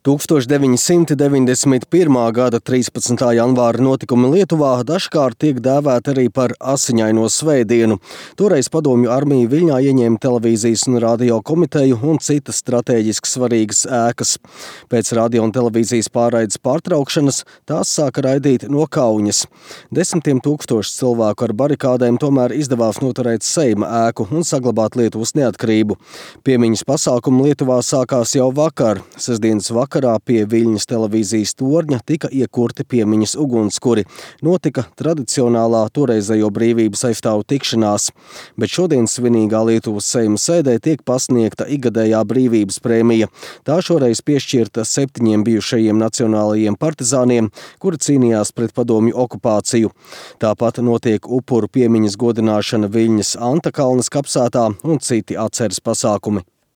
1991. gada 13. janvāra notikumi Lietuvā dažkārt tiek dēvēti arī par Asiņaino svētdienu. Toreiz padomju armija Viļņā ieņēma televīzijas un radio komiteju un citas strateģiski svarīgas ēkas. Pēc radio un televīzijas pārraides pārtraukšanas tās sāka raidīt no Kauņas. Desmitiem tūkstoši cilvēku ar barikādēm tomēr izdevās noturēt Seima ēku un saglabāt Lietuvas neatkarību. Piemiņas pasākumi Lietuvā sākās jau vakar. Sestdienas vakarā pie Viļņas televīzijas torņa tika iekurti piemiņas ugunskuri. Notika tradicionālā toreizējo brīvības aizstāvu tikšanās, bet šodien svinīgā Lietuvas Seima sēdē tiek pasniegta ikgadējā brīvības prēmija. Tā šoreiz piešķirta 7 bijušajiem nacionālajiem partizāniem, kuri cīnījās pret padomju okupāciju. Tāpat notiek upuru piemiņas godināšana Viļņas Antakalnes kapsētā un citi atceres pasākumi.